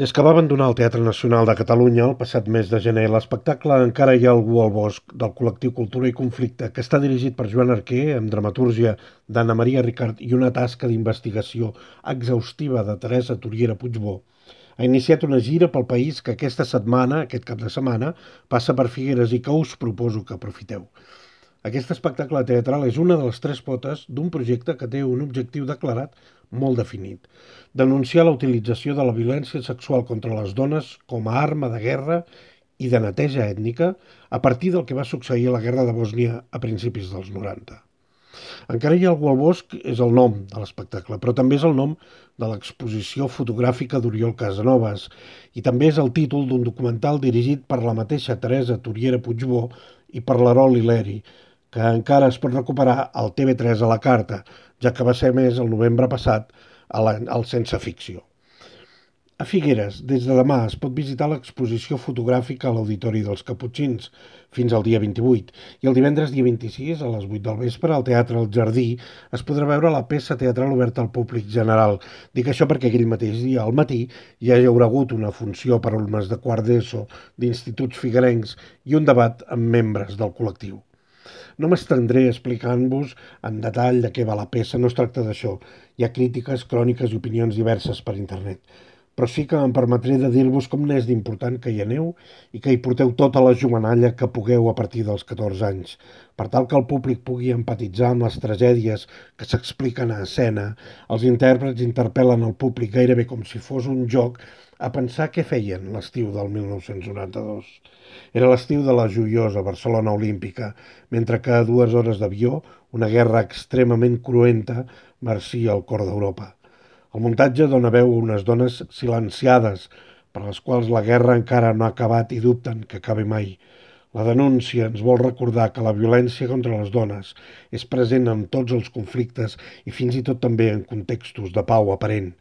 Des que va abandonar el Teatre Nacional de Catalunya el passat mes de gener, l'espectacle Encara hi ha algú al bosc, del col·lectiu Cultura i Conflicte, que està dirigit per Joan Arquer, amb dramatúrgia d'Anna Maria Ricart i una tasca d'investigació exhaustiva de Teresa Turiera Puigbó, ha iniciat una gira pel país que aquesta setmana, aquest cap de setmana, passa per Figueres i que us proposo que aprofiteu. Aquest espectacle teatral és una de les tres potes d'un projecte que té un objectiu declarat molt definit: denunciar la utilització de la violència sexual contra les dones com a arma de guerra i de neteja ètnica a partir del que va succeir a la guerra de Bòsnia a principis dels 90. Encara hi ha algú al bosc és el nom de l'espectacle, però també és el nom de l'exposició fotogràfica d'Oriol Casanovas i també és el títol d'un documental dirigit per la mateixa Teresa Turiera Puigbó i per l'Erol Hileri, que encara es pot recuperar al TV3 a la carta, ja que va ser més el novembre passat al Sense Ficció. A Figueres, des de demà, es pot visitar l'exposició fotogràfica a l'Auditori dels Caputxins fins al dia 28 i el divendres dia 26, a les 8 del vespre, al Teatre El Jardí, es podrà veure la peça teatral oberta al públic general. Dic això perquè aquell mateix dia, al matí, ja hi haurà hagut una funció per alumnes de quart d'ESO d'instituts figuerencs i un debat amb membres del col·lectiu. No m'estendré explicant-vos en detall de què va la peça, no es tracta d'això. Hi ha crítiques, cròniques i opinions diverses per internet. Però sí que em permetré de dir-vos com n'és d'important que hi aneu i que hi porteu tota la jovenalla que pugueu a partir dels 14 anys, per tal que el públic pugui empatitzar amb les tragèdies que s'expliquen a escena. Els intèrprets interpel·len el públic gairebé com si fos un joc a pensar què feien l'estiu del 1992. Era l'estiu de la joiosa Barcelona Olímpica, mentre que a 2 hores d'avió una guerra extremament cruenta marcia el cor d'Europa. El muntatge dona veu a unes dones silenciades, per les quals la guerra encara no ha acabat i dubten que acabi mai. La denúncia ens vol recordar que la violència contra les dones és present en tots els conflictes i fins i tot també en contextos de pau aparent.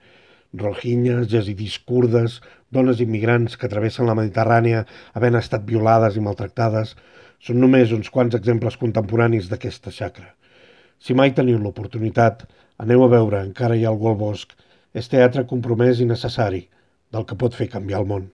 Rohingyes, jezidis kurdes, dones immigrants que travessen la Mediterrània havent estat violades i maltractades, són només uns quants exemples contemporanis d'aquesta xacra. Si mai teniu l'oportunitat, aneu a veure Encara hi ha algú al bosc. És teatre compromès i necessari, del que pot fer canviar el món.